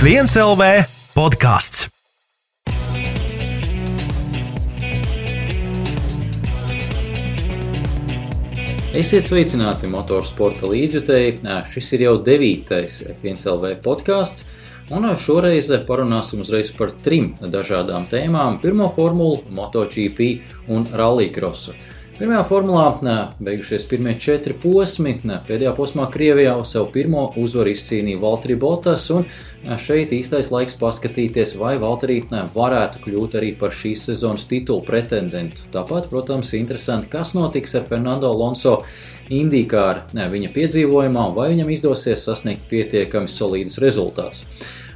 F1 LV podkāsts. Esiet sveicināti motorsporta līdzjutēji. Šis ir jau 9. F1 LV podkāsts, un šoreiz parunāsim uzreiz par 3 dažādām tēmām. Pirmo formulu, MotoGP un rallycrossu. Pirmajā formulā beigušies pirmie 4 posmi. Pēdējā posmā Krievijā sev pirmo uzvaru izcīnīja Valtteri Bottas, un šeit īstais laiks paskatīties, vai Valtteri varētu kļūt arī par šīs sezonas titulu pretendentu. Tāpat, protams, interesanti, kas notiks ar Fernando Alonso IndyCar viņa piedzīvojumā, vai viņam izdosies sasniegt pietiekami solīdus rezultātus.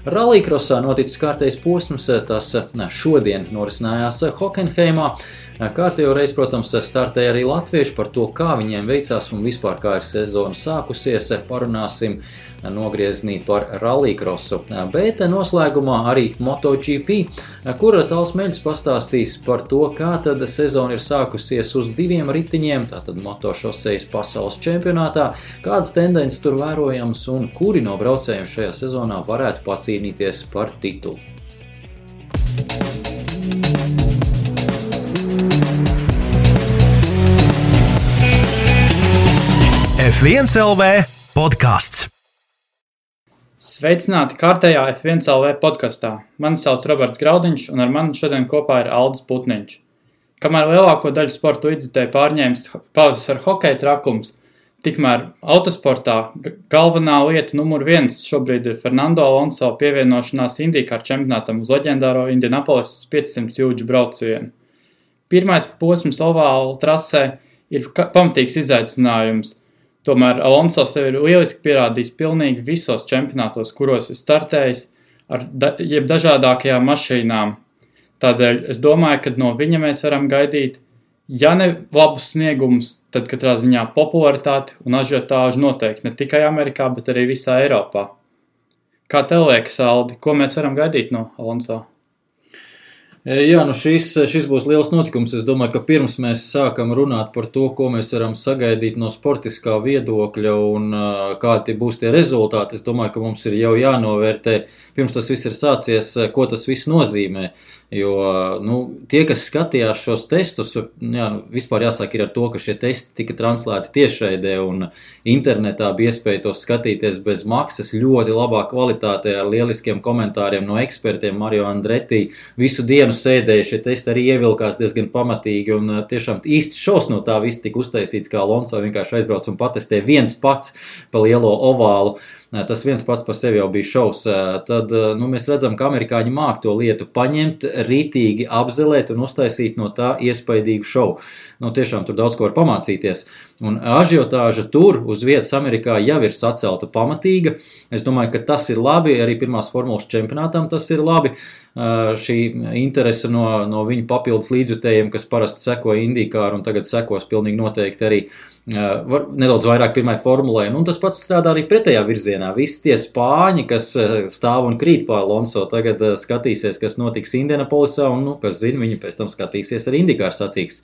Rallycrossā noticis kārtējs posms, tas šodien norisinājās Hockenheimā. Kārtējo reizi, protams, startēja arī latvieši. Par to, kā viņiem veicās un vispār kā ir sezona sākusies, parunāsim nogrieznī par rallycrossu. Bet noslēgumā arī MotoGP, kur Tāls Meļs pastāstīs par to, kā tad sezona ir sākusies uz 2 ritiņiem, tātad motošosejas pasaules čempionātā, kādas tendences tur vērojams un kuri no braucējiem šajā sezonā varētu pacīnīties par titulu. F1 LV podkāsts. Sveicināti kārtējā F1 LV podkastā. Mani sauc Roberts Graudiņš, un ar mani šodien kopā ir Aldis Putniņš. Kamēr lielāko daļu sporta līdzjutēju pārņēmis pavasara hokeja trakums, tikmēr autosportā galvenā lieta numur 1 šobrīd ir Fernando Alonso pievienošanās IndyCar čempionātam uz leģendāro Indianapolis 500 jūdžu braucienu. Pirmais posms ovāla trasē ir pamatīgs izaicinājums. Tomēr Alonso sev ir lieliski pierādījis pilnīgi visos čempionātos, kuros ir startējis ar dažādākajām mašīnām. Tādēļ es domāju, ka no viņa mēs varam gaidīt, ja ne labus sniegumus, tad katrā ziņā popularitāti un ažiotāžu noteikti ne tikai Amerikā, bet arī visā Eiropā. Kā tev liekas, Aldi, ko mēs varam gaidīt no Alonso? Jā, šis būs liels notikums. Es domāju, ka pirms mēs sākam runāt par to, ko mēs varam sagaidīt no sportiskā viedokļa un kādi būs tie rezultāti, es domāju, ka mums ir jau jānovērtē, pirms tas viss ir sācies, ko tas viss nozīmē. Jo tie, kas skatījās šos testus, vispār jāsaka ir ar to, ka šie testi tika translēti tiešraidē un internetā bija iespēja tos skatīties bez maksas, ļoti labā kvalitātē ar lieliskiem komentāriem no ekspertiem. Mario Andretti visu dienu sēdēja, šie testi arī ievilkās diezgan pamatīgi un tiešām īsts šovs no tā viss tika uztaisīts, kā Alonso vienkārši aizbrauc un patestē viens pats pa lielo ovālu. Tas viens pats par sevi jau bija šovs. Tad mēs redzam, ka amerikāņi māk to lietu paņemt, rītīgi apzelēt un uztaisīt no tā iespaidīgu šovu. Tiešām tur daudz ko var pamācīties. Un ažiotāža tur uz vietas Amerikā jau ir sacelta pamatīga. Es domāju, ka tas ir labi, arī pirmās formulas čempionātam tas ir labi. Šī interese no viņu papildus līdzjutējiem, kas parasti seko IndyCar un tagad sekos pilnīgi noteikti arī nedaudz vairāk pirmai formulai. Un tas pats strādā arī pretējā virzienā. Visi tie spāņi, kas stāv un krīt pa Alonso, tagad skatīsies, kas notiks Indianapolisā un, kas zina, viņi pēc tam skatīsies arī IndyCar sacīks.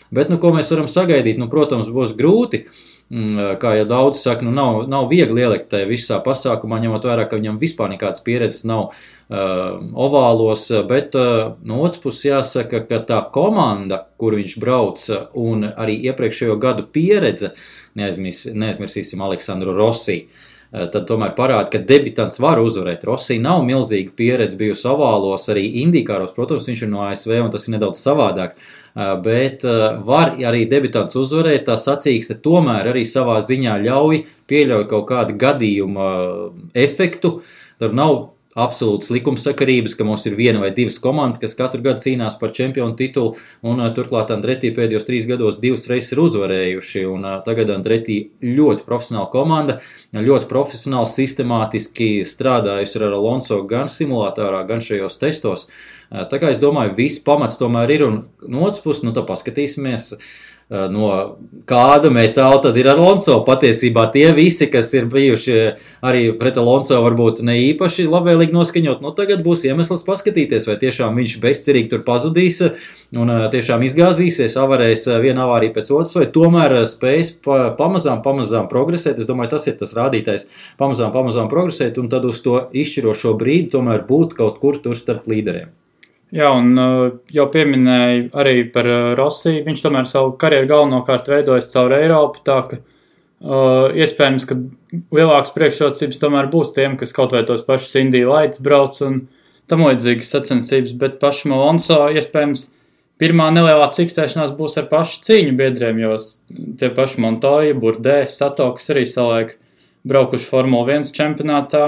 Bet, ko mēs varam sagaidīt? Protams, būs grūti. Kā jau daudz saka, nav viegli ielikt tajā visā pasākumā, ņemot vērā, ka viņam vispār nekādas pieredzes nav ovālos, bet no otras puses jāsaka, ka tā komanda, kur viņš brauc, un arī iepriekšējo gadu pieredze, neaizmirsīsim Aleksandru Rossi, tad tomēr parāda, ka debitants var uzvarēt. Rossi nav milzīga pieredze bijusi ovālos, arī IndyCaros, protams, viņš ir no ASV un tas ir nedaudz savādāk, bet var arī debitants uzvarēt, tā sacīkste tomēr arī savā ziņā pieļauj kaut kādu gadījuma efektu, tur nav absolūtas likumsakarības, ka mums ir 1 vai 2 komandas, kas katru gadu cīnās par čempionu titulu, un turklāt Andretti pēdējos 3 gados 2 reizes ir uzvarējuši, un tagad Andretti ļoti profesionāla komanda, ļoti profesionāli, sistemātiski strādājusi ar Alonso gan simulātorā, gan šajos testos. Tā kā es domāju, viss pamats tomēr ir, un no otras puses, tad paskatīsimies, no kāda metāla tad ir Alonso. Patiesībā tie visi, kas ir bijuši arī pret Alonso varbūt ne īpaši labvēlīgi noskaņot, tagad būs iemesls paskatīties, vai tiešām viņš bezcerīgi tur pazudīs un tiešām izgāzīsies, avarēs viena avārija pēc otras, vai tomēr spējas pamazām progresēt. Es domāju, tas ir tas rādītājs, pamazām progresēt un tad uz to izšķirošo brīdi tomēr būt kaut kur tur starp līderiem. Jā, un jau pieminēju arī par Rossi. Viņš tomēr savu karjeru galvenokārt veidojas caur Eiropu, tā ka iespējams, ka lielākas priekšrocības tomēr būs tiem, kas kaut vai tos pašus Indy Lights brauc un tam līdzīgas sacensības, bet pašam Alonso iespējams pirmā nelielā cikstēšanās būs ar pašu cīņu biedriem, jo tie paši Montoya, Burdē, Sato, kas arī savulaik braukuši Formula 1 čempionātā,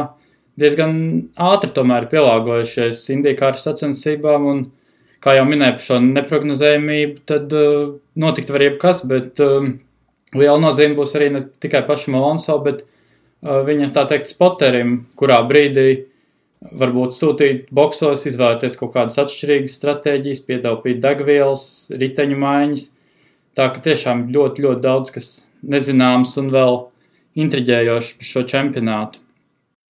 diezgan ātri tomēr pielāgojušies IndyCar sacensībām, un, kā jau minēju par šo neprognozējumību, tad notikt var jebkas, bet liela nozīme būs arī ne tikai pašam Alonso, bet viņa, tā teikt, spoterim, kurā brīdī varbūt sūtīt boksos, izvēlēties kaut kādas atšķirīgas stratēģijas, pietaupīt degvielas, riteņu maiņas. Tā ka tiešām ļoti, ļoti daudz, kas nezināms un vēl intriģējoši par šo čempionātu.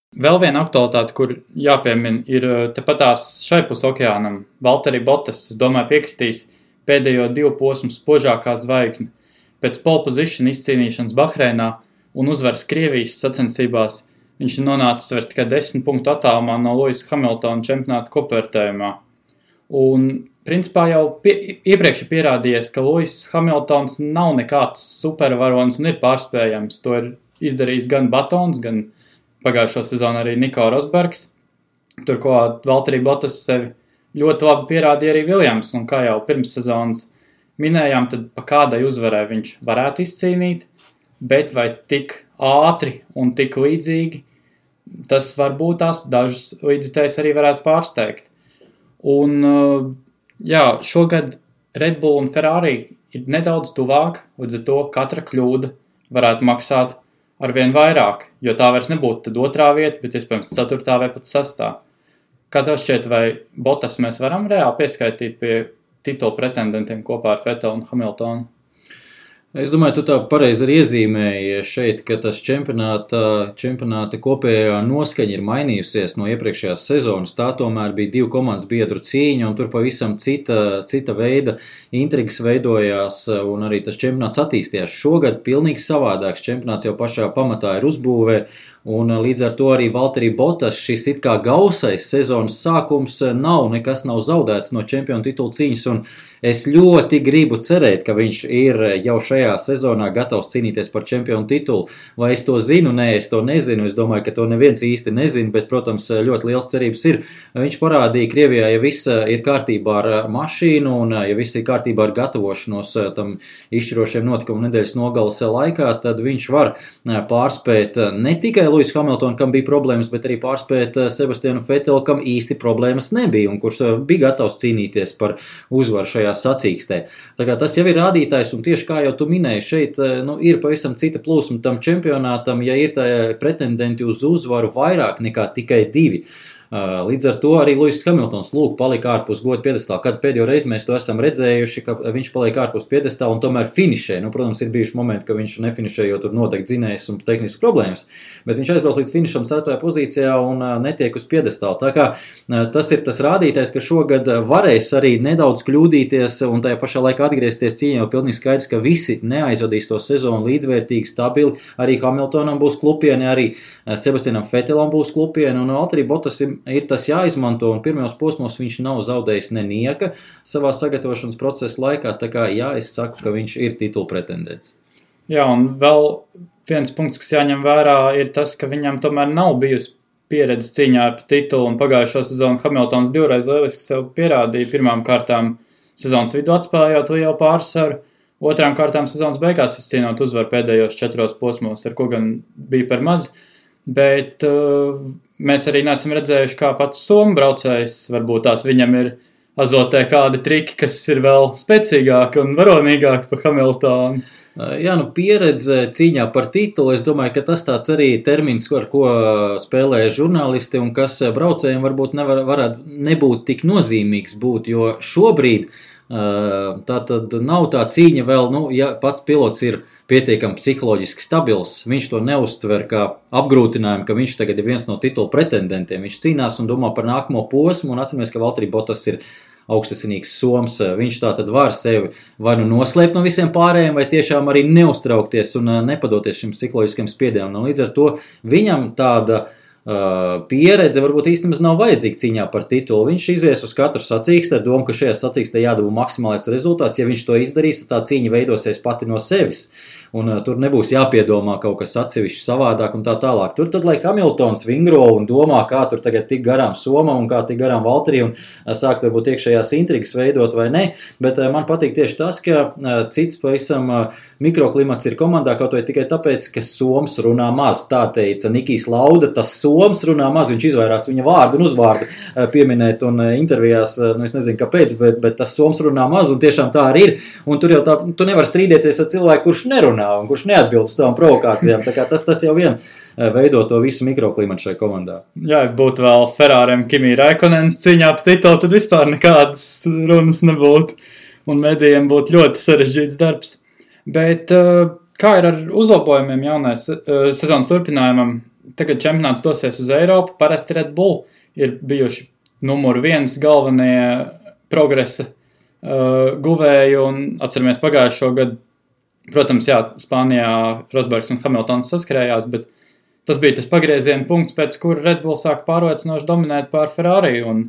Vēl viena aktualitāte, kur jāpiemina, ir tepatās šai pus okeānam. Valtteri Bottas, es domāju, piekritīs pēdējo 2 posmu spožākā zvaigzne. Pēc pole position izcīnīšanas Bahreinā un uzvaras Krievijas sacensībās viņš ir nonācis vairs tikai 10 punktu attālumā no Lewisa Hamiltona čempionāta kopvērtējumā. Un principā jau iepriekš ir pierādījies, ka Lewis Hamiltons nav nekāds supervaronis un ir pārspējams. To ir izdarījis gan Batons, gan pagājušo sezonu arī Nico Rosbergs. Turklāt Valtteri Bottas sevi ļoti labi pierādīja arī Williams, un kā jau pirms sezonas minējām, tad pa kādai uzvarai viņš varētu izcīnīt, bet vai tik ātri un tik līdzīgi, tas varbūt tās dažus līdzjutējus arī varētu pārsteigt. Un jā, šogad Red Bull un Ferrari ir nedaudz tuvāk, līdz ar to katra kļūda varētu maksāt arvien vairāk, jo tā vairs nebūtu tad 2. vieta, bet iespējams 4. vai pat 6. Kā tev šķiet, vai Bottas mēs varam reāli pieskaitīt pie titula pretendentiem kopā ar Vettelu un Hamiltonu? Es domāju, tu tā pareizi arī iezīmēji šeit, ka tas čempionāta kopējā noskaņa ir mainījusies no iepriekšējās sezonas. Tā tomēr bija 2 komandas biedru cīņa, un tur pavisam cita veida intrigas veidojās, un arī tas čempionāts attīstījās. Šogad pilnīgi savādāks čempionāts jau pašā pamatā ir uzbūvē, un līdz ar to arī Valtteri Bottas šis it kā gausais sezonas sākums nekas nav zaudēts no čempionu titula cīņas, un es ļoti gribu cerēt, ka viņš ir jau šajā sezonā gatavs cīnīties par čempionu titulu. Vai es to zinu? Nē, es to nezinu. Es domāju, ka to neviens īsti nezina, bet, protams, ļoti liels cerības ir. Viņš parādīja Krievijā, ja viss ir kārtībā ar mašīnu un ja viss ir kārtībā ar gatavošanos tam izšķirošiem notikumu nedēļas nogalas laikā, tad viņš var pārspēt ne tikai Lewis Hamilton, kam bija problēmas, bet arī pārspēt Sebastianu Vettelu, kam īsti problēmas nebija un kurš bija gatavs cīnīties par uzvaru šajā sacīkstē. Tā kā tas jau ir rādītājs, un tieši kā jau tu minēji, šeit ir pavisam cita plūsma tam čempionātam, ja ir tā pretendenti uz uzvaru vairāk nekā tikai 2. Līdz ar to arī Lewis Hamiltons palika ārpus goda piedestāla. Kad pēdējo reizi mēs to esam redzējuši, ka viņš palika ārpus piedestāla un tomēr finišē. Protams, ir bijuši momenti, ka viņš nefinišē, jo tur notiek dzinējs un tehnisks problēmas, bet viņš aizbrauc līdz finišam 4. pozīcijā un netiek uz piedestāla. Tā kā tas ir tas rādītājs, ka šogad varēs arī nedaudz kļūdīties un tajā pašā laikā atgriezties cīņā, jo pilnīgi skaidrs, ka visi neaizvadīs to sezonu līdzvērtīgi, stabili. Arī Hamiltonam būs klupieni, arī Sebastianam Vettelam būs klupieni, un Valtteri Bottas ir tas jāizmanto, un pirmajos posmos viņš nav zaudējis nenieka savā sagatavošanas procesa laikā, tā kā jā, es saku, ka viņš ir titula pretendents. Jā, un vēl viens punkts, kas jāņem vērā, ir tas, ka viņam tomēr nav bijusi pieredze cīņā par titulu, un pagājušo sezonu Hamiltons 2 reiz lieliski sev pierādīja. Pirmām kārtām sezonas vidu atspēlējot lielu pārsvaru, otrām kārtām sezonas beigās izcīnot uzvaru pēdējos 4 posmos, ar ko gan bija par maz, bet mēs arī neesam redzējuši, kā pats somu braucējs, varbūt tās viņam ir azotē kādi triki, kas ir vēl spēcīgāki un varonīgāki par Hamiltonu. Jā, pieredze cīņā par titulu, es domāju, ka tas tāds arī termins, ar ko spēlē žurnālisti un kas braucējiem varbūt varētu nebūt tik nozīmīgs būt, jo šobrīd Tā tad nav tā cīņa vēl, ja pats pilots ir pietiekami psiholoģiski stabils, viņš to neuztver kā apgrūtinājumu, ka viņš tagad ir viens no titula pretendentiem. Viņš cīnās un domā par nākamo posmu, un atceramies, ka Valtteri Bottas ir augstasinīgs soms. Viņš tā tad var sevi vai nu noslēpt no visiem pārējiem, vai tiešām arī neuztraukties un nepadoties šim psiholoģiskam spiedienam. Un līdz ar to viņam tāda pieredze varbūt īstenībā nav vajadzīga cīņā par titulu. Viņš izies uz katru sacīksti ar domu, ka šajā sacīkstē jādabū maksimālais rezultāts. Ja viņš to izdarīs, tad tā cīņa veidosies pati no sevis. Un tur nebūs jāpiedomā kaut kas atsevišķi savādāk un tā tālāk. Tur tad, lai Hamiltons vingro un domā, kā tur tagad tik garām Somam un kā tik garām Valtteri un sākt varbūt iekšējās intrigas veidot vai ne, bet man patīk tieši tas, ka cits pavisam mikroklimats ir komandā kaut vai tikai tāpēc, ka Soms runā maz. Tā teica Nikijs Lauda, tas Soms runā maz, viņš izvairās viņa vārdu un uzvārdu pieminēt un intervijās, es nezinu kāpēc, bet tas Soms runā maz un tiešām tā arī ir. Un tur jau tā, tu nevar strīdēties ar cilvēku, kurš nerunā un kurš neatbild uz tām provokācijām. Tā kā tas jau vien veido to visu mikroklimatu šai komandā. Jā, ja būtu vēl Ferrāriem Kimi Räikonens cīņā par titulu, tad vispār nekādas runas nebūtu. Un medijiem būtu ļoti sarežģīts darbs. Bet kā ir ar uzlabojumiem jaunais sezonas turpinājumam? Tagad čempionāts dosies uz Eiropu. Parasti Red Bull ir bijuši numuru 1 galvenie progresa guvēji. Un atceramies pagājušo gadu. Protams, jā, Spānijā Rosbergs un Hamiltons saskrējās, bet tas bija tas pagrieziena punkts, pēc kura Red Bull sāk pārliecinoši dominēt pār Ferrari, un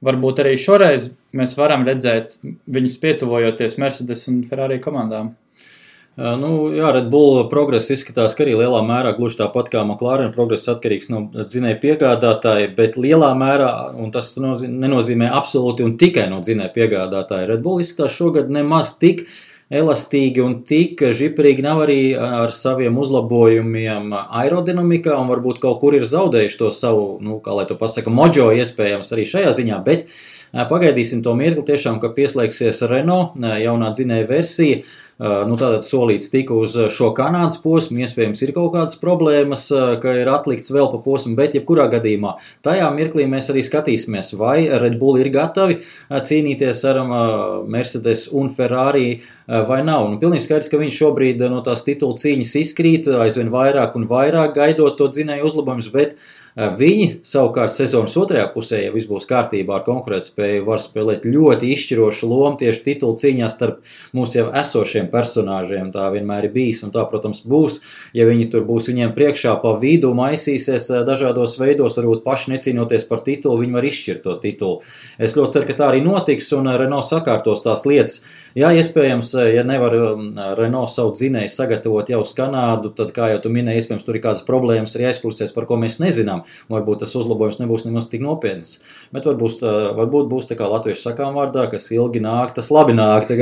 varbūt arī šoreiz mēs varam redzēt viņus pietuvojoties Mercedes un Ferrari komandām. Jā, Red Bull progress izskatās, ka arī lielā mērā gluži tāpat kā McLaren progress atkarīgs no dzinēja piegādātāja, bet lielā mērā, un tas nenozīmē absolūti un tikai no dzinēja piegādātāja, Red Bull izskatās šogad nemaz tik elastīgi un tik žiprīgi nav arī ar saviem uzlabojumiem aerodinamikā un varbūt kaut kur ir zaudējuši to savu, kā lai to pasaka, mojo iespējams arī šajā ziņā, bet pagaidīsim to mirkli tiešām, ka pieslēgsies Renault jaunā dzinēja versija. Tātad solīts tika uz šo Kanādas posmu, iespējams ir kaut kādas problēmas, ka ir atlikts vēl pa posmu, bet jebkurā gadījumā tajā mirklī mēs arī skatīsimies, vai Red Bull ir gatavi cīnīties ar Mercedes un Ferrari vai nav. Pilnīgi skaidrs, ka viņš šobrīd no tās titula cīņas izkrīt, aizvien vairāk un vairāk gaidot to dzinēju uzlabojumus, bet viņi savukārt sezonas otrajā pusē, ja viss būs kārtībā ar konkurētspēju, var spēlēt ļoti izšķirošu lomu tieši titulu cīņā starp mūsu jau esošiem personāžiem. Tā vienmēr ir bijis un tā, protams, būs. Ja viņi tur būs viņiem priekšā pa vidu, maisīsies dažādos veidos, varbūt paši necīnoties par titulu, viņi var izšķirt to titulu. Es ļoti ceru, ka tā arī notiks un Renault sakārtos tās lietas. Jā, iespējams, ja nevar Renault savu dzinēju sagatavot jau uz Kanādu, tad, kā jau tu minēji, iespējams, tur ir kādas problēmas arī aizklūsies, par ko mēs nezinām. Varbūt tas uzlabojums nebūs nemaz tik nopietnas. Bet varbūt būs tā kā latviešu sakām vārdā, kas ilgi nāk, tas labi nāk.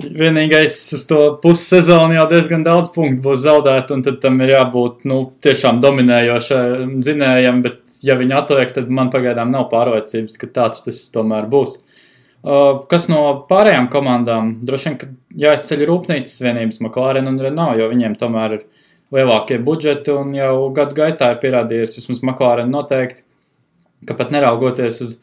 Vienīgais uz to pussezonu jau diezgan daudz punktu būs zaudēt, un tad tam ir jābūt tiešām dominējošam dzinējam, bet ja viņi atliek, tad man pagaidām nav pārliecības, ka tāds tas tomēr būs. Kas no pārējām komandām? Droši vien, ka jāizceļ rūpnīcas vienības McLaren un Renault, jo viņiem tomēr ir lielākie budžeti un jau gadu gaitā ir pierādījies, vismaz McLaren noteikti, ka pat neraugoties uz,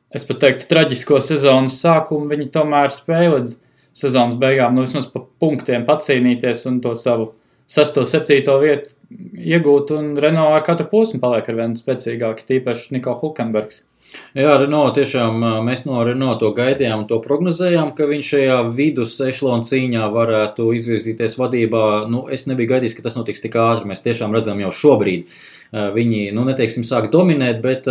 es pat teiktu, traģisko sezonas sākumu, viņi tomēr spēja līdz sezonas beigām, vismaz pa punktiem pacīnīties un to savu 6. 7. vietu iegūt, un Renault ar katru posmu paliek ar vienu spēcīgāki, tīpaši Nico Hülkenbergs. Jā, Renault tiešām, mēs no Renault to gaidījām un to prognozējām, ka viņš šajā vidus ešlona cīņā varētu izvirzīties vadībā. Es nebiju gaidījis, ka tas notiks tik ātri, mēs tiešām redzam jau šobrīd. Viņi, neteiksim, sāk dominēt, bet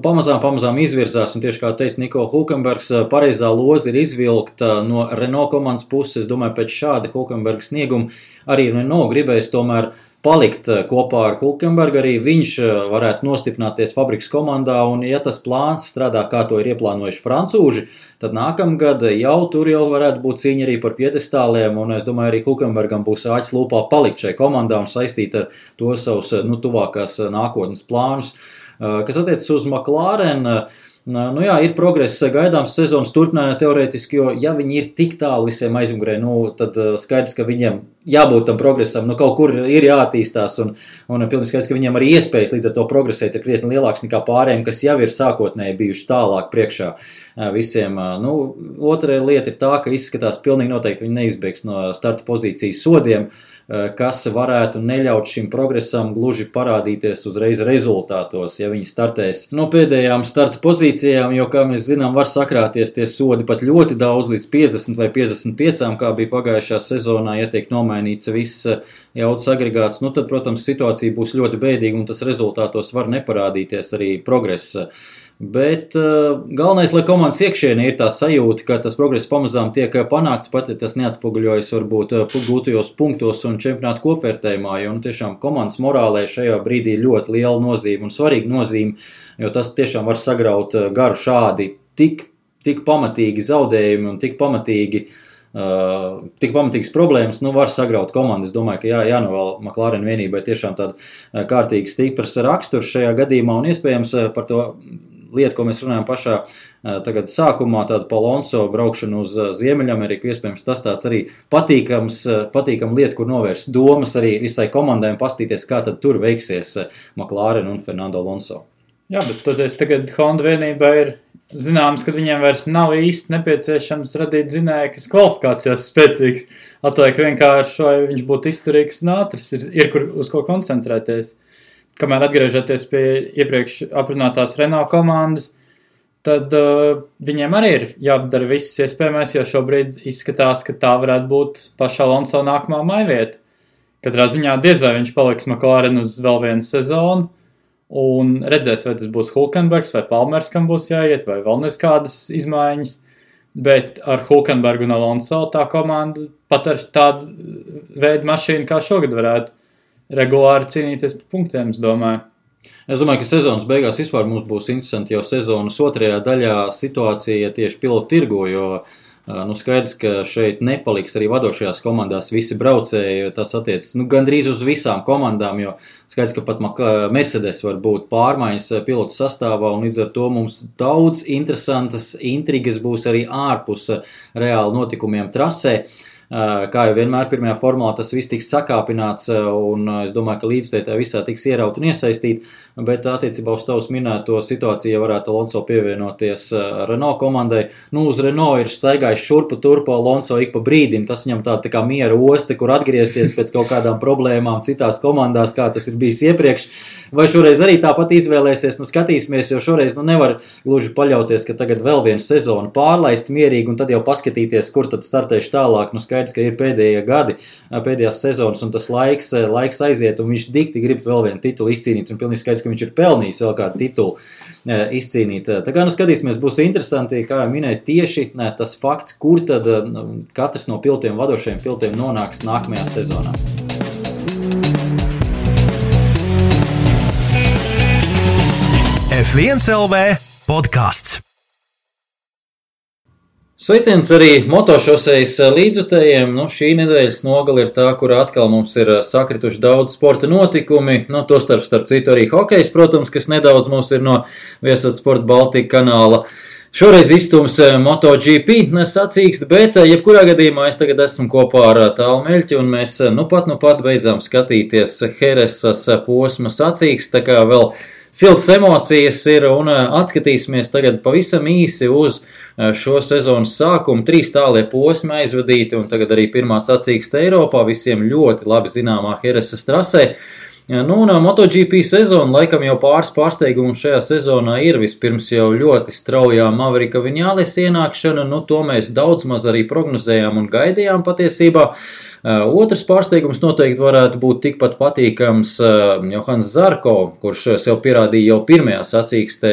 pamazām izvirzās, un tieši kā teica Nico Hülkenbergs, pareizā loza ir izvilkta no Renault komandas puses. Es domāju, pēc šāda Hülkenberga snieguma arī Renault gribēs tomēr palikt kopā ar Hülkenbergu, arī viņš varētu nostiprināties fabrikas komandā, un ja tas plāns strādā, kā to ir ieplānojuši francūži, tad nākamgad jau varētu būt cīņa arī par piedestāliem, un es domāju, arī Hülkenbergam būs āķis lūpā palikt šai komandā un saistīt ar to savus tuvākās nākotnes plānus. Kas attiecas uz McLaren, ir progress gaidāms sezonas turpinājumā teorētiski, jo ja viņi ir tik tālu visiem aizmugurē, tad skaidrs, ka viņiem jābūt tam progresam, kaut kur ir jāattīstās un pilnīgi skaidrs, ka viņiem arī iespējas līdz ar to progresēt ir krietni lielāks nekā pārējiem, kas jau ir sākotnēji bijuši tālāk priekšā visiem. Otra lieta ir tā, ka izskatās pilnīgi noteikti viņi neizbēgs no starta pozīcijas sodiem, kas varētu neļaut šim progresam gluži parādīties uzreiz rezultātos, ja viņi startēs no pēdējām starta pozīcijām, jo, kā mēs zinām, var sakrāties tie sodi pat ļoti daudz līdz 50 vai 55, kā bija pagājušā sezonā, ja tiek nomainīts viss jaudas agregāts, tad, protams, situācija būs ļoti bēdīga un tas rezultātos var neparādīties arī progresa. Bet galvenais, lai komandas iekšienē ir tā sajūta, ka tas progress pamazām tiek panākts, pat ja tas neatspoguļojas varbūt gūtajos punktos un čempionātu kopvērtējumā, jo tiešām komandas morālē šajā brīdī ļoti liela nozīme un svarīga nozīme, jo tas tiešām var sagraut garu šādi tik pamatīgi zaudējumi un tik pamatīgas problēmas, var sagraut komandu. Es domāju, ka jānovēl McLaren vienībai tiešām tāda kārtīgi stipras raksturs šajā gadījumā un iespējams par to lietu, ko mēs runājam pašā tagad sākumā, tādu pa Alonso braukšanu uz Ziemeļameriku, iespējams tas tāds arī patīkam lieta, kur novērst domas arī visai komandai un pastīties, kā tad tur veiksies McLaren un Fernando Alonso. Jā, bet toties tagad Honda vienībā ir zināms, ka viņiem vairs nav īsti nepieciešams radīt zinēju, kas kvalifikācijās spēcīgs. Atliek vienkārši, vai viņš būtu izturīgs un ātrs, ir kur uz ko koncentrēties. Kamēr atgriežaties pie iepriekš aprunātās Renault komandas, tad viņiem arī ir jādara viss iespējamais, jo šobrīd izskatās, ka tā varētu būt pašā Alonso nākamā maivieta. Katrā ziņā diez vai viņš paliks McLaren uz vēl vienu sezonu, un redzēs, vai tas būs Hulkenbergs vai Palmers, kam būs jāiet, vai vēl neskādas izmaiņas, bet ar Hulkenbergu un Alonso tā komanda pat ar tādu veidu mašīnu kā šogad varētu regulāri cīnīties par punktiem, es domāju. Es domāju, ka sezonas beigās vispār mums būs interesanti jau sezonas otrajā daļā situācija tieši pilotu tirgu, jo skaidrs, ka šeit nepaliks arī vadošajās komandās visi braucēji, jo tas attiecas gandrīz uz visām komandām, jo skaidrs, ka pat Mercedes var būt pārmaiņas pilotu sastāvā, un līdz ar to mums daudz interesantas intrigas būs arī ārpus reāli notikumiem trasē. Kā jau vienmēr pirmajā formulā tas viss tiks sakāpināts un es domāju, ka līdztētā visā tiks ieraut un iesaistīt, bet attiecībā uz tavs minēto situāciju, ja varētu Alonso pievienoties Renault komandai. Uz Renault ir staigājis šurpu turpu Alonso ik pa brīdim, tas viņam tā kā miera oste, kur atgriezties pēc kaut kādām problēmām citās komandās, kā tas ir bijis iepriekš. Vai šoreiz arī tāpat izvēlēsies, skatīsimies, jo šoreiz nevar gluži paļauties, ka tagad vēl vienu sezonu pārlaist mierīgi un tad jau paskatīties, kur tad startēšu tālāk. Skaidrs, ka ir pēdējie gadi, pēdējās sezonas un tas laiks aiziet un viņš dikti grib vēl vienu titulu izcīnīt un pilnīgi skaidrs, ka viņš ir pelnījis vēl kādu titulu izcīnīt. Tā kā skatīsimies, būs interesanti, kā jau minēju, tieši tas fakts, kur tad katrs no vadošajiem pilotiem nonāks nākamajā sezonā. F1 LV podcasts. Sveiciens arī motošosejas līdzjutējiem. Šī nedēļas nogale ir tā, kur atkal mums ir sakrituši daudz sporta notikumi. Tostarp starp citu arī hokejs, protams, kas nedaudz mums ir no Viasat Sport Baltika kanāla. Šoreiz izstums MotoGP sacīkst, bet jebkurā gadījumā es tagad esmu kopā ar Tālu Meļķi un mēs nu pat beidzām skatīties Heresas posma sacīkst, tā kā vēl siltas emocijas ir un atskatīsimies tagad pavisam īsi uz šo sezonas sākumu. 3 tālie posmi aizvadīti un tagad arī pirmā sacīksta Eiropā, visiem ļoti labi zināmā Heresas trasē. Un MotoGP sezona laikam jau pāris pārsteigumu šajā sezonā ir. Vispirms jau ļoti straujā Maverika Viņales ienākšana, to mēs daudz maz arī prognozējām un gaidījām patiesībā. Otrs pārsteigums noteikti varētu būt tikpat patīkams Johans Zarko, kurš sev pierādīja jau pirmajā sacīkstē,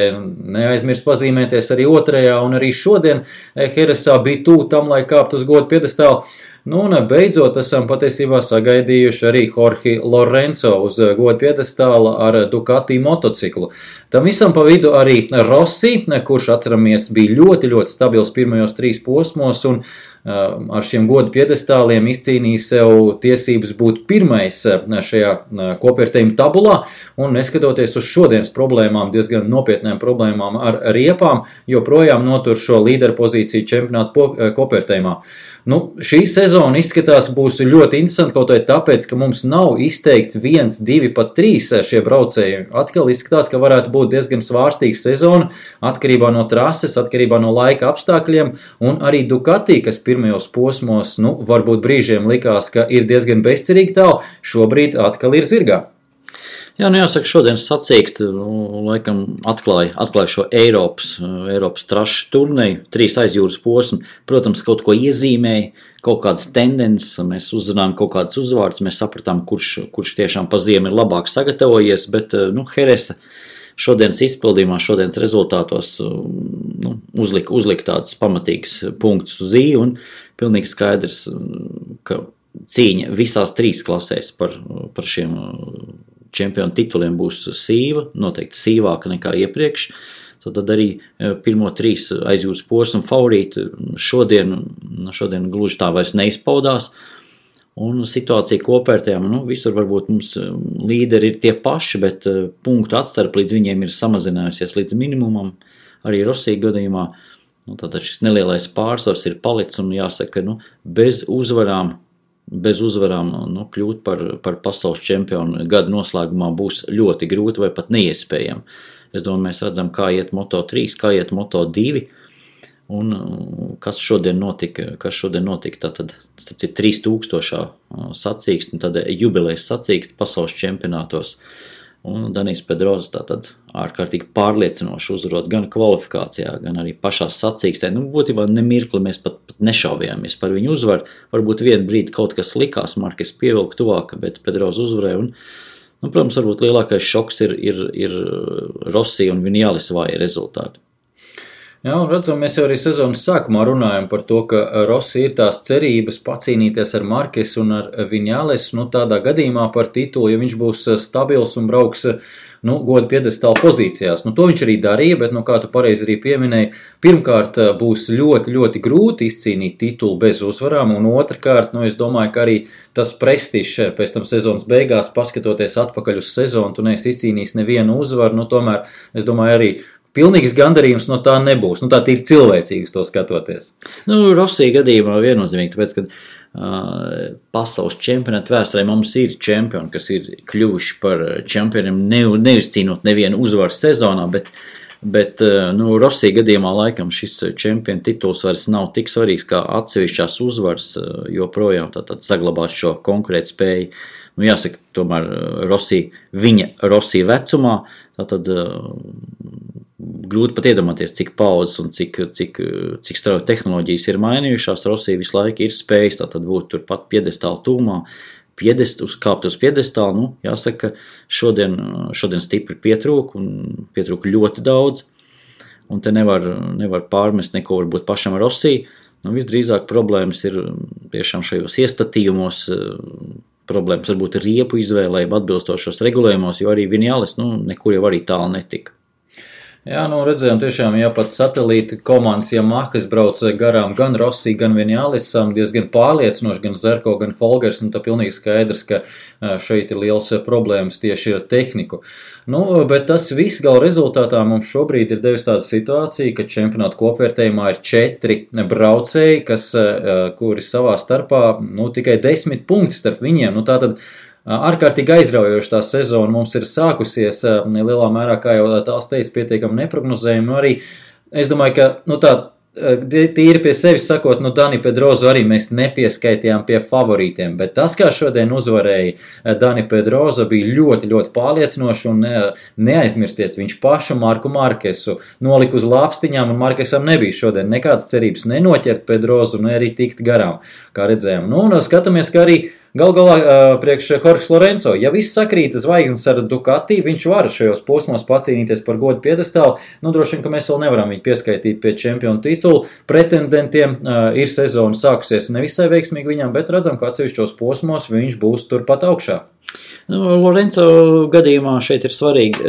neaizmirst pazīmēties arī otrajā un arī šodien Heresā bija tuvu tam, lai kāpt uz godu piedestālu. Un beidzot esam patiesībā sagaidījuši arī Jorge Lorenzo uz godu piedestāla ar Ducati motociklu. Tam visam pa vidu arī Rossi, kurš atceramies bija ļoti stabils pirmajos 3 posmos un ar šiem godu piedestāliem izcīnīja sev tiesības būt pirmais šajā kopvērtējuma tabulā un neskatoties uz šodienas problēmām, diezgan nopietnām problēmām ar riepām, joprojām notur šo līderu pozīciju čempionātu kopvērtējumā. Šī sezona izskatās būs ļoti interesanti, kaut arī tāpēc, ka mums nav izteikts 1, 2, pat 3 šie braucēji. Atkal izskatās, ka varētu būt diezgan svārstīga sezona, atkarībā no trases, atkarībā no laika apstākļiem, un arī Ducati, kas pirmajos posmos, varbūt brīžiem likās, ka ir diezgan bezcerīgi tālu, šobrīd atkal ir zirgā. Jā, jāsaka, šodienas sacīksti, laikam atklāja šo Eiropas trašu turneju, 3 aizjūras posmi, protams, kaut ko iezīmēja, kaut kādas tendences, mēs uzzinājām kaut kādas uzvārds, mēs sapratām, kurš tiešām pa ziemu ir labāk sagatavojies, bet, Heresa šodienas izpildījumā, šodienas rezultātos, uzlika tādus pamatīgus punktus uz I, un pilnīgi skaidrs, ka cīņa visās 3 klasēs par šiem čempionu tituliem būs sīva, noteikti sīvāka nekā iepriekš. Tad arī pirmo 3 aizjūras posmu favorīti šodien gluži tā vairs neizpaudās. Un situācija kopvērtējām, visur varbūt mums līderi ir tie paši, bet punktu atstarp līdz viņiem ir samazinājusies līdz minimumam. Arī Rosī gadījumā tātad šis nelielais pārsvars ir palicis un jāsaka, bez uzvarām kļūt par pasaules čempionu gada noslēgumā būs ļoti grūti vai pat neiespējami. Es domāju, mēs redzam, kā iet Moto3, kā iet Moto2, un kas šodien notika, tātad 3000 sacīksti, tad jubilejas sacīksti pasaules čempionātos. Un Danijs Pedroza tātad ārkārtīgi pārliecinoši uzvarot gan kvalifikācijā, gan arī pašās sacīkstē. Būtībā nemirkli mēs pat nešaubījāmies par viņu uzvaru. Varbūt vienu brīdi kaut kas likās, Markes pievilka tuvāk, bet Pedroza uzvarēja. Protams, varbūt lielākais šoks ir Rossi un Vinales vāja rezultāti. Jā, un redzam, mēs jau arī sezonas sākumā runājam par to, ka Rossi ir tās cerības pacīnīties ar Markes un ar Vinales, tādā gadījumā par titulu, ja viņš būs stabils un brauks, goda piedestāla pozīcijās. To viņš arī darīja, bet, kā tu pareizi arī pieminēji, pirmkārt būs ļoti, ļoti grūti izcīnīt titulu bez uzvarām, un otrkārt, es domāju, ka arī tas prestižs pēc tam sezonas beigās, paskatoties atpakaļ uz sezonu, tu neesi izcīnījis nevienu uzvaru, tomēr, es domāju, arī pilnīgs gandarījums no tā nebūs. Tā ir cilvēcīgs to skatoties. Rosī gadījumā viennozīmīgi, tāpēc, ka pasaules čempionāta vēsturē mums ir čempioni, kas ir kļuvuši par čempioniem, neizcīnot nevienu uzvaru sezonā, bet Rosī gadījumā laikam šis čempionu tituls vairs nav tik svarīgs kā atsevišķās uzvaras, joprojām tātad saglabāt šo konkurētspēju. Jāsaka, tomēr viņa Rosī vecumā, tātad grūti pat iedomāties, cik paudzes un cik strauji tehnoloģijas ir mainījušās. Rosī visu laiku ir spējis tātad būt turpat piedestāla tūmā, kāpt uz piedestālu. Jāsaka, šodien stipri pietrūka ļoti daudz, un te nevar pārmest neko varbūt pašam Rosī. Visdrīzāk problēmas ir tiešām šajos iestatījumos, problēmas varbūt riepu izvēlē atbilstošos regulējumos, jo arī Vinales nekur jau arī tālu netika. Jā, redzējām tiešām, pat satelīta komandas Yamaha, kas brauc garām gan Rossi, gan Vinalesam, diezgan pārliecinoši, gan Zarko, gan Folgers, tā pilnīgi skaidrs, ka šeit ir liels problēmas tieši ar tehniku. Bet tas viss gala rezultātā mums šobrīd ir devis tāda situācija, ka čempionāta kopvērtējumā ir 4 braucēji, kuri savā starpā, tikai 10 punkti starp viņiem, tātad ārkārtīgi aizraujoši tā sezona mums ir sākusies, lielā mērā, kā jau tās teica, pietiekami neprognozējumi, arī es domāju, ka, tīri pie sevis sakot, Dani Pedrozu arī mēs nepieskaitījām pie favorītiem, bet tas, kā šodien uzvarēja Dani Pedroza, bija ļoti, ļoti pārliecinoši, un neaizmirstiet viņš pašu Marku Markesu nolika uz lāpstiņām, un Markesam nebija šodien nekādas cerības nenoķert Pedrozu, ne arī tikt garām, kā redzējām. Un skatāmies, ka arī gal galā priekš Jorge Lorenzo, ja viss sakrīt zvaigznes ar Ducati, viņš var šajos posmos pacīnīties par godu piedestālu, droši vien, ka mēs vēl nevaram viņu pieskaitīt pie čempionu titulu. Pretendentiem ir sezona sākusies nevisai veiksmīgi viņam, bet redzam, ka atsevišķos posmos viņš būs turpat augšā. Lorenzo gadījumā šeit ir svarīgi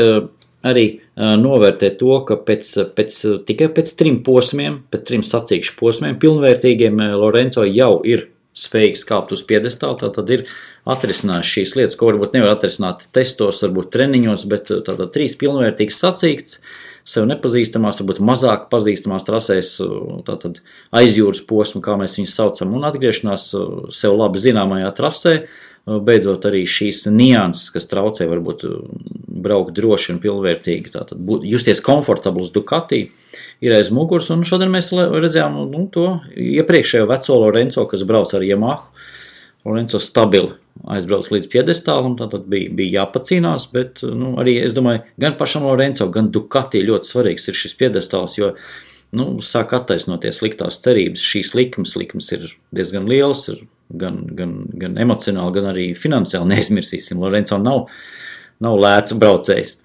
arī novērtēt to, ka tikai pēc 3 posmiem, pēc 3 sacīkšu posmiem pilnvērtīgiem Lorenzo jau ir spējīgs kāpt uz piedestāla, tad ir atrisinājis šīs lietas, ko varbūt nevar atrisināt testos, varbūt treniņos, bet tātad 3 pilnvērtīgs sacīksts, sev nepazīstamās, varbūt mazāk pazīstamās trasēs, tātad aizjūras posmu, kā mēs viņus saucam, un atgriešanās sev labi zināmajā trasē, beidzot arī šīs nianses, kas traucē varbūt braukt droši un pilnvērtīgi, tātad justies komfortabls Ducati, ir aiz muguras, un šodien mēs redzējām to iepriekšējo veco Lorenzo, kas brauc ar Yamahu. Lorenzo stabili aizbrauc līdz piedestālam, tātad bija jāpacīnās, bet arī, es domāju, gan pašam Lorenzo, gan Ducati ļoti svarīgs ir šis piedestāls, jo sāk attaisnoties liktās cerības. Šīs likmes ir diezgan lielas, ir gan emocionāli, gan arī finansiāli neizmirsīsim. Lorenzo nav lēts braucējs.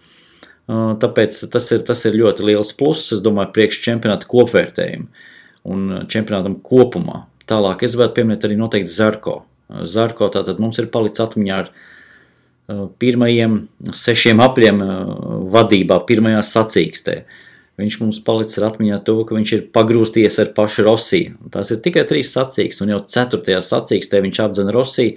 Tāpēc tas ir ļoti liels pluss, es domāju, priekš čempionāta kopvērtējumu un čempionātam kopumā. Tālāk es gribētu pieminēt arī noteikti Zarko. Zarko tātad mums ir palicis atmiņā ar pirmajiem 6 apļiem vadībā, pirmajā sacīkstē. Viņš mums palicis ar atmiņā to, ka viņš ir pagrūsties ar pašu Rossi. Tās ir tikai 3 sacīksti, un jau 4. sacīkstē viņš apdzena Rossi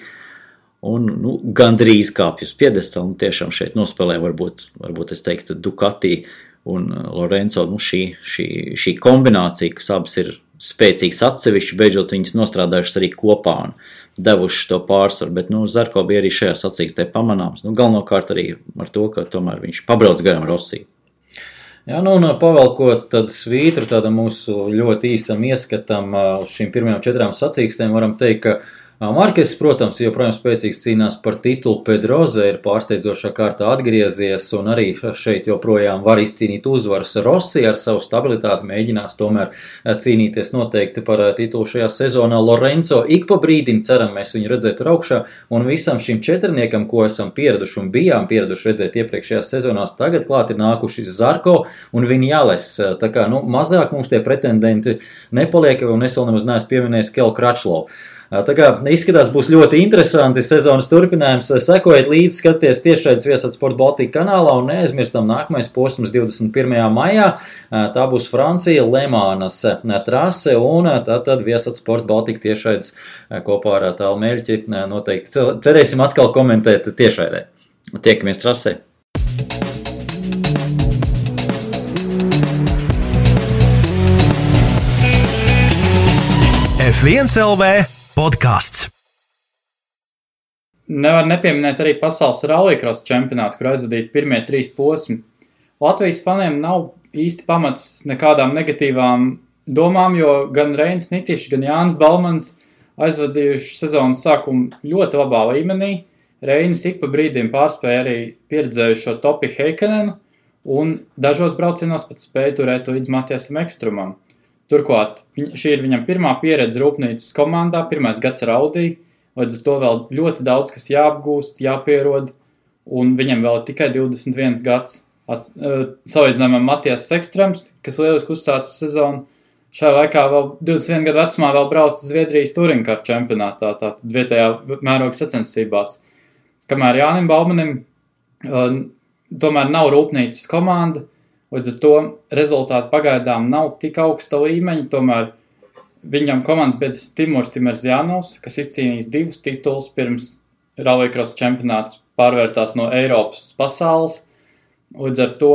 un gandrīz kāpj uz piedestālu, un tiešām šeit nospēlē varbūt es teiktu Ducati un Lorenzo, šī kombinācija, kas abas ir spēcīgs atsevišķi, beidzot viņas nostrādājušas arī kopā un devušas to pārsvaru, bet Zarko bija arī šajā sacīkstē pamanāms, galvenokārt arī ar to, ka tomēr viņš pabrauc garām Rossi. Jā, un pavelkot tad svītru tādam mūsu ļoti īsam ieskatam uz šīm pirmajām 4 sacīkstēm, varam teikt, ka Markes, protams, joprojām spēcīgs cīnās par titulu, Pedroza ir pārsteidzošā kārtā atgriezies un arī šeit joprojām var izcīnīt uzvaras. Rossi ar savu stabilitāti mēģinās tomēr cīnīties noteikti par titulu šajā sezonā. Lorenzo ik pa brīdim ceram mēs viņu redzētu augšā un visam šim 4, ko esam pieraduši un bijām pieraduši redzēt iepriekšējās sezonās, tagad klāt ir nākuši Zarko un Vinjales. Tā kā mazāk mums tie pretendenti nepaliek un es vēl nemaz neesmu pieminējis Kelu Kračlovu. Tā kā izskatās būs ļoti interesanti sezonas turpinājums. Sekojiet līdzi, skaties tiešraides Viasat Sport Baltika kanālā un neaizmirstam nākamais posms 21. maijā. Tā būs Francija, Lemānas trase un tad Viasat Sport Baltika tiešraides kopā ar Tālu Meļķi noteikti cerēsim atkal komentēt tiešraidē. Tiekamies trasē. F1 LV podcasts. Nevar nepieminēt arī pasaules rallycross čempionātu, kur aizvadīti pirmie 3 posmi. Latvijas faniem nav īsti pamats nekādām negatīvām domām, jo gan Reinis Nitišs, gan Jānis Balmans aizvadījuši sezonas sākumu ļoti labā līmenī. Reinis ik pa brīdiem pārspēja arī pieredzējušo Topi Heikanenu un dažos braucienos pat spēja turēt līdz Matiasam Ekstrumam. Turklāt šī ir viņam pirmā pieredze rūpnīcas komandā, pirmais gads ar Audi, līdz ar to vēl ļoti daudz, kas jāapgūst, jāpierod, un viņam vēl tikai 21 gads. Salīdzinājumā Matias Ekstrums, kas lieliski uzsāca sezonu, šajā laikā vēl 21 gadu vecumā vēl brauca Zviedrijas Touringcar čempionātā, tātad vietējā mēroga sacensībās. Kamēr Jānim Balmanim tomēr nav rūpnīcas komanda, līdz ar to rezultāti pagaidām nav tik augsta līmeņa, tomēr viņam komandas biedrs Timurs Timerzjanovs, kas izcīnījis 2 titulus pirms rallycross čempionāts pārvērtās no Eiropas uz pasaules. Līdz ar to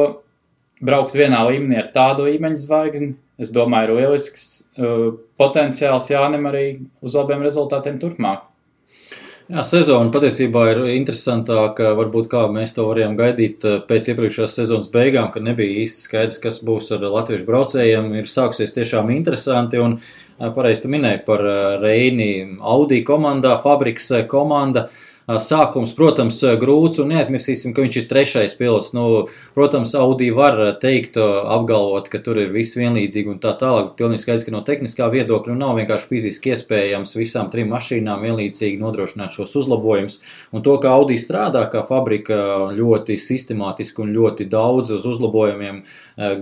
braukt vienā līmenī ar tādu līmeņa zvaigzni, es domāju, ir lielisks potenciāls Jānim arī uz labiem rezultātiem turpmāk. Jā, sezona patiesībā ir interesantāka, varbūt kā mēs to varējām gaidīt pēc iepriekšējās sezonas beigām, kad nebija īsti skaidrs, kas būs ar latviešu braucējiem. Ir sākusies tiešām interesanti un pareizi tu minēji par Reini Audi komandā, Fabriks komanda. Sākums, protams, grūts un neaizmirsīsim, ka viņš ir 3. pilots. Protams, Audi var teikt, apgalvot, ka tur ir viss vienlīdzīgi un tā tālāk. Pilnīgi skaidrs, ka no tehniskā viedokļa nav vienkārši fiziski iespējams visām 3 mašīnām vienlīdzīgi nodrošināt šos uzlabojumus. Un to, ka Audi strādā kā fabrika ļoti sistemātiski un ļoti daudz uz uzlabojumiem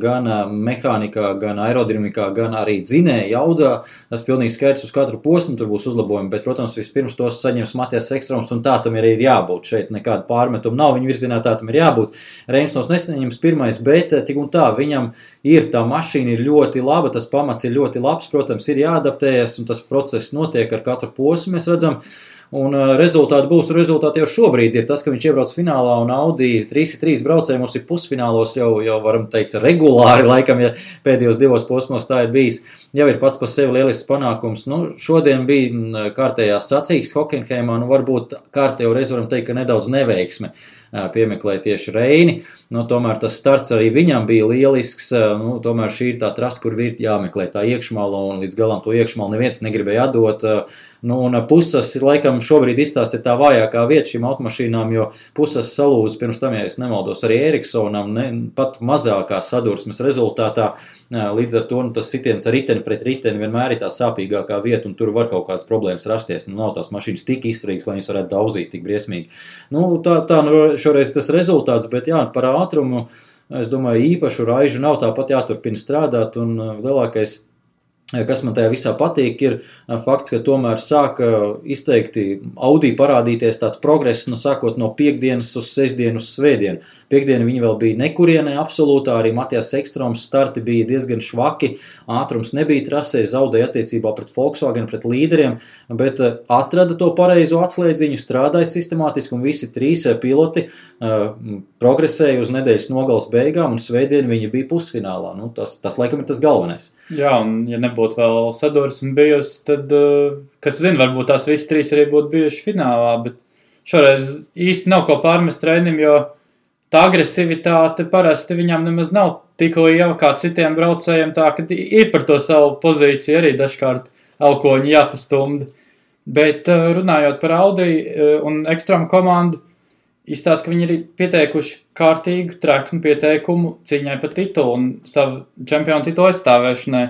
gan mehānikā, gan aerodinamikā, gan arī dzinēja jaudā, tas pilnīgi skaidrs uz katru posmu tur būs uzlabojumi, bet, protams, vispirms tos saņems Matias Ekstrums un tā tā tam arī ir jābūt. Šeit nekāda pārmetuma nav, viņa virzienā tā tam ir jābūt. Reinsons nesaņems pirmais, bet tik un tā, viņam ir tā mašīna ir ļoti laba, tas pamats ir ļoti labs, protams, ir jāadaptējas, un tas process notiek ar katru posmu, mēs redzam. Un rezultāti būs, un rezultāti jau šobrīd ir tas, ka viņš iebrauc finālā un Audi 3-3 braucēji mums ir pusfinālos jau varam teikt regulāri, laikam, ja pēdējos 2 posmos tā ir bijis, jau ir pats par sevi lielisks panākums. Nu, šodien bija kārtējās sacīkstes Hockenheimā, nu varbūt kārtējo reizi varam teikt, ka nedaudz neveiksme piemeklēja tieši Reini. Nu, tomēr tas starts arī viņam bija lielisks, nu, tomēr šī ir tā trasa, kur ir jāmeklē tā iekšmala, un līdz galam to iekšmalu neviens negribēja atdot. Nu, un Pusas laikam šobrīd izstāsta ir tā vājākā vieta šīm automašīnām, jo Pusas salūza pirms tam, ja es nemaldos, arī Eriksonam pat mazākā sadursmes rezultātā. Līdz ar to tas sitiens ar riteni pret riteni vienmēr ir tā sāpīgākā vieta, un tur var kaut kādas problēmas rasties. Nu, nav tās mašīnas tik izturīgas, lai viņas varētu daudzīt tik briesmīgi. Nu, tā šoreiz tas rezultāts, bet jā, par ātrumu, es domāju, īpašu raižu nav, tāpat jāturpina strādāt, un lielākais, kas man tajā visā patīk, ir fakts, ka tomēr sāka izteikti Audi parādīties tāds progress, nu sākot no piekdienas uz sestdienu uz svētdienu. Piekdienu viņi vēl bija nekurienē absolūtā, arī Matijas Ekstroms starti bija diezgan švaki, ātrums nebija trasē, zaudēja attiecībā pret Volkswagen, pret līderiem, bet atrada to pareizo atslēdziņu, strādāja sistemātiski, un visi 3 piloti progresēja uz nedēļas nogales beigām, un svētdien viņi bija pusfinālā. Nu, tas laikam ir tas galvenais. Jā, un ja nebūtu vēl sadursme bijusi, tad, kas zina, varbūt tās visi 3 arī būtu bijuši finālā, bet šoreiz īsti nav ko pārmest Reinim, jo tā agresivitāte parasti viņam nemaz nav tik liela kā citiem braucējiem, tā, ka ir par to savu pozīciju arī dažkārt elkoņi jāpastumda. Bet runājot par Audi un Ekstrom komandu, izstāsta, ka viņi ir pieteikuši kārtīgu treknu pieteikumu cīņai par titulu un savu čempionu titulu aizstāvēšanai.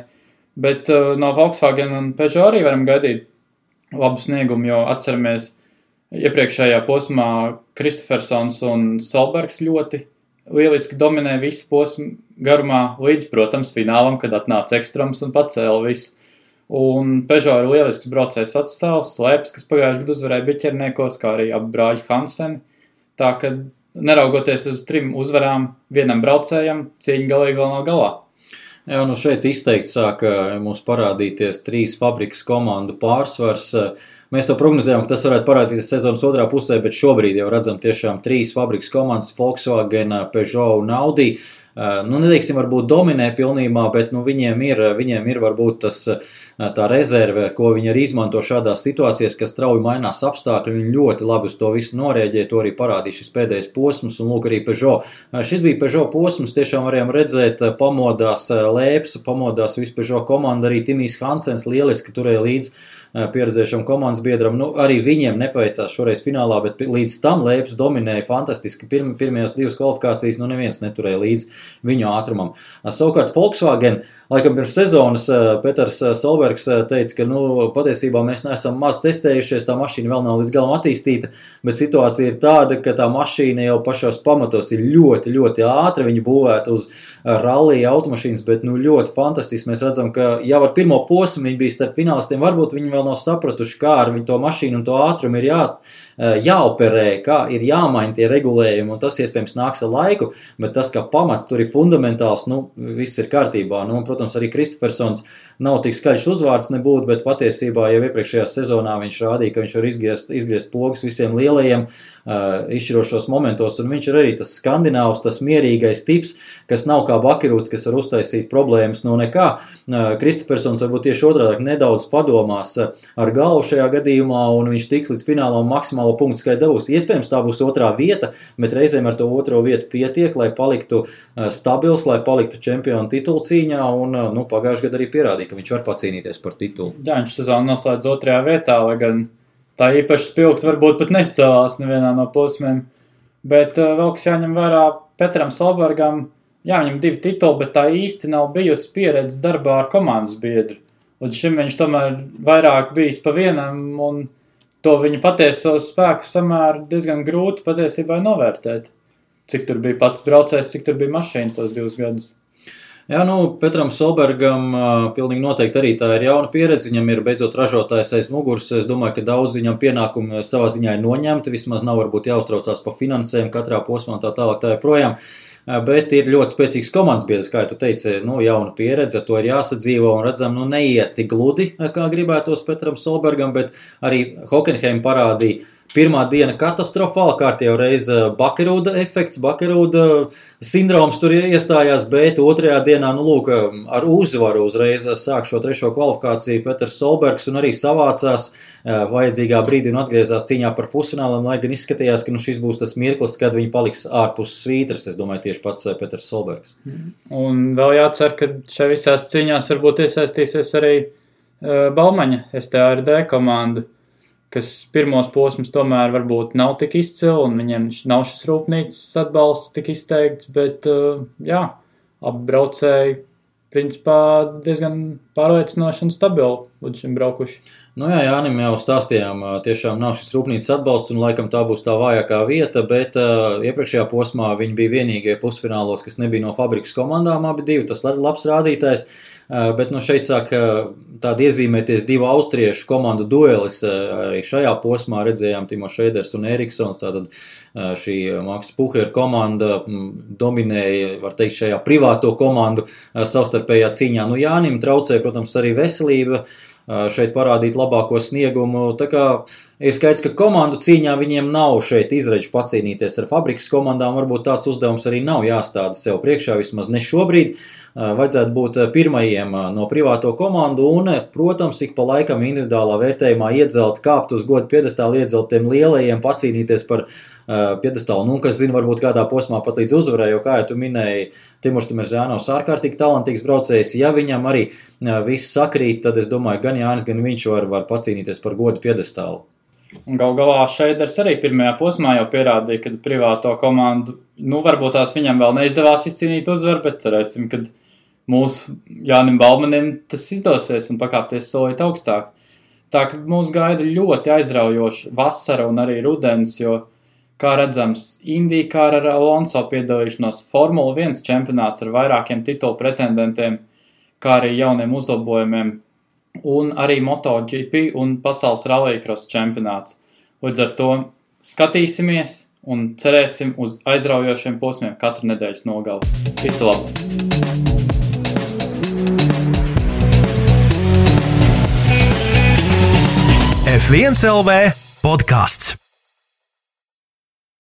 Bet no Volkswagen un Peugeot arī varam gaidīt labu sniegumu, jo atceramies iepriekšējā posmā Kristofersons un Solbergs ļoti lieliski dominē visu posmu garumā līdz, protams, finālam, kad atnāca Ekstroms un pacēla visu. Un Peugeot ir lielisks braucējs atstāvs, Slēps, kas pagājuši gadu uzvarēja biķerniekos, kā arī abi brāļi Hanseni. Tā, ka neraugoties uz 3 uzvarām vienam braucējam, cīņa galīgi vēl nav galā. Jā, nu šeit izteikti sāka mums parādīties 3 fabrikas komandu pārsvars. Mēs to prognozējām, ka tas varētu parādīties sezonas otrā pusē, bet šobrīd jau redzam tiešām 3 fabrikas komandas - Volkswagen, Peugeot un Audi. Nu, neteiksim, varbūt dominē pilnībā, bet nu, viņiem ir varbūt tas tā rezerve, ko viņi arī izmanto šādās situācijās, kas strauji mainās apstākļi. Viņi ļoti labi uz to visu norēģē, to arī parādīja šis pēdējais posms, un lūk arī Peugeot. Šis bija Peugeot posms, tiešām varējām redzēt, pamodās Lēps, pamodās visu Peugeot komandu, arī Timijs Hansens lieliski turēja līdz pieredzējušam komandas biedram. Nu, arī viņiem nepaveicās šoreiz finālā, bet līdz tam Lēps dominēja fantastiski. Pirmajās 2 kvalifikācijas, nu neviens neturēja līdz viņu ātrumam. Savukārt Volkswagen, laikam pirms sezonas Peters Solbergs teica, ka nu, patiesībā mēs neesam maz testējušies, tā mašīna vēl nav līdz galam attīstīta, bet situācija ir tāda, ka tā mašīna jau pašos pamatos ir ļoti, ļoti ātra, viņa būvēta uz rallija automašīnas, bet nu ļoti fantastiski. Mēs redzam, ka jau ar pirmo posmu viņi bija starp finālistiem, varbūt viņi vēl nav sapratuši, kā ar viņu to mašīnu un to ātrumu ir jāoperē, kā ir jāmaina tie regulējumi, un tas iespējams nāks ar laiku, bet tas, ka pamats tur ir fundamentāls, nu, viss ir kārtībā. Nu, un, protams, arī Kristofersons nav tik skaļš uzvārds nebūt, bet patiesībā jau iepriekšējā sezonā viņš rādīja, ka viņš var izgriezt pogas visiem lielajiem izšķirošos momentos, un viņš ir arī tas skandināvs, tas mierīgais tips, kas nav kā bakirūts, kas var uztaisīt problēmas no nekā. Kristofersons varbūt tieši otrādāk nedaudz padomās ar galvu šajā gadījumā, un viņš tiks līdz finālam maksimālo punktu skaitu dabūs. Iespējams, tā būs otrā vieta, bet reizēm ar to otro vietu pietiek, lai paliktu stabils, lai paliktu čempionu titulu cīņā, un nu, pagājušajā gadā arī pierādīja, ka viņš var pacīnīties par titulu. Jā, viņš sezonu noslēdz otrajā vietā, lai gan tā īpaši spilgt varbūt pat nescēlās nevienā no posmiem. Bet vēl kas jāņem vērā Petram Solbergam, jā, viņam 2 tituli, bet tā īsti nav bijusi pieredze darbā ar komandas biedru. Līdz šim viņš tomēr vairāk bijis pa vienam, un to viņa patieso spēku samēru diezgan grūti patiesībā novērtēt. Cik tur bija pats braucējs, cik tur bija mašīna tos 2 gadus. Jā, Petram Solbergam pilnīgi noteikti arī tā ir jauna pieredze. Viņam ir beidzot ražotājs aiz muguras. Es domāju, ka daudz viņam pienākumi savā ziņā ir noņemti. Vismaz nav varbūt jāuztraucās par finansēm katrā posmā un tā tālāk tā joprojām. Bet ir ļoti spēcīgs komandas biedrs, kā tu teici, jauna pieredze, ar to ir jāsadzīvo un redzam, neiet tik gludi, kā gribētos Petram Solbergam, bet arī Hockenheim parādīja. Pirmā diena katastrofāla, kārtējo reizi Bakerūda efekts, Bakerūda sindroms tur iestājās, bet otrajā dienā, ar uzvaru uzreiz sāk šo trešo kvalifikāciju Peters Solbergs un arī savācās vajadzīgā brīdī un atgriezās cīņā par pusfināliem, lai gan izskatījās, ka šis būs tas mirklis, kad viņi paliks ārpus svītras, es domāju, tieši pats Peters Solbergs. Un vēl jācer, ka šajā visās cīņās varbūt iesaistīsies arī Baumaņa STRD komanda, kas pirmos posmus tomēr varbūt nav tik izcili, un viņiem nav šis rūpnīcas atbalsts tik izteikts, bet abi braucēji principā diezgan pārliecinoši un stabili līdz šim braukuši. Jānim jau stāstījām, tiešām nav šis rūpnīcas atbalsts, un laikam tā būs tā vājākā vieta, bet iepriekšējā posmā viņi bija vienīgie pusfinālos, kas nebija no fabrikas komandām, abi divi, tas labs rādītājs. Bet šeit sāk tādi iezīmēties divu austriešu komandu duelis. Arī šajā posmā redzējām Timo Šeiders un Eriksons. Tātad šī Maks Puher komanda dominēja, var teikt, šajā privāto komandu savstarpējā cīņā. Jānim traucēja, protams, arī veselība šeit parādīt labāko sniegumu. Tā kā ir skaidrs, ka komandu cīņā viņiem nav šeit izredzi pacīnīties ar fabrikas komandām. Varbūt tāds uzdevums arī nav jāstāda sev priekšā, vismaz ne šobrīd. Vajadzētu būt pirmajiem no privāto komandu un, protams, ik pa laikam individuālā vērtējumā iedzelt, kāpt uz godu piedestālu, iedzelt tiem lielajiem, pacīnīties par piedestālu. Kas zina, varbūt kādā posmā pat līdz uzvarai, jo, kā jau tu minēji, Timurs Timerzānovs ārkārtīgi talantīgs braucējs. Ja viņam arī viss sakrīt, tad es domāju, gan Jānis, gan viņš var pacīnīties par godu piedestālu. Un gal galā Šeiders arī pirmajā posmā jau pierādīja, ka privāto komandu, varbūt tās viņam vēl neizdevās izcīnīt uzvaru, bet cerēsim, ka mūsu Jānim Balmanim tas izdosies un pakāpties solīt augstāk. Tā ka mūs gaida ļoti aizraujoša vasara un arī rudens, jo, kā redzams, IndyCar ar Alonso piedalīšanos Formula 1 čempionāts ar vairākiem titulu pretendentiem, kā arī jauniem uzlabojumiem, un arī MotoGP un pasaules rallycross čempionāts. Līdz ar to skatīsimies un cerēsim uz aizraujošiem posmiem katru nedēļas nogali. Visu labu! F1 LV podcasts.